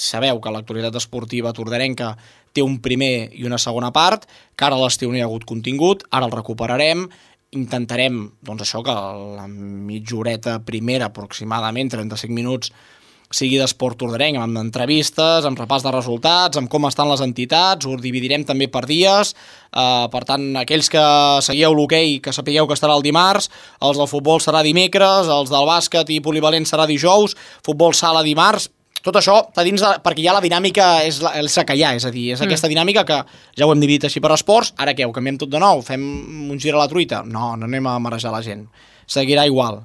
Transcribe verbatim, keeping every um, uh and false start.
sabeu que l'actualitat esportiva tordarenca té un primer i una segona part, que ara a l'estiu no hi ha hagut contingut, ara el recuperarem, intentarem, doncs això, que la mitja horeta primera, aproximadament trenta-cinc minuts, sigui d'esport tordarenc, amb entrevistes, amb repàs de resultats, amb com estan les entitats, ho dividirem també per dies, uh, per tant, aquells que seguieu l'hoquei, que sapigueu que estarà el dimarts, els del futbol serà dimecres, els del bàsquet i polivalent serà dijous, futbol sala dimarts, tot això està dins de, perquè ja la dinàmica és la, és la que hi ha, és a dir, és mm. aquesta dinàmica que ja ho hem dividit així per esports, ara què, ho canviem tot de nou, fem un gir a la truita? No, no anem a marejar la gent, seguirà igual.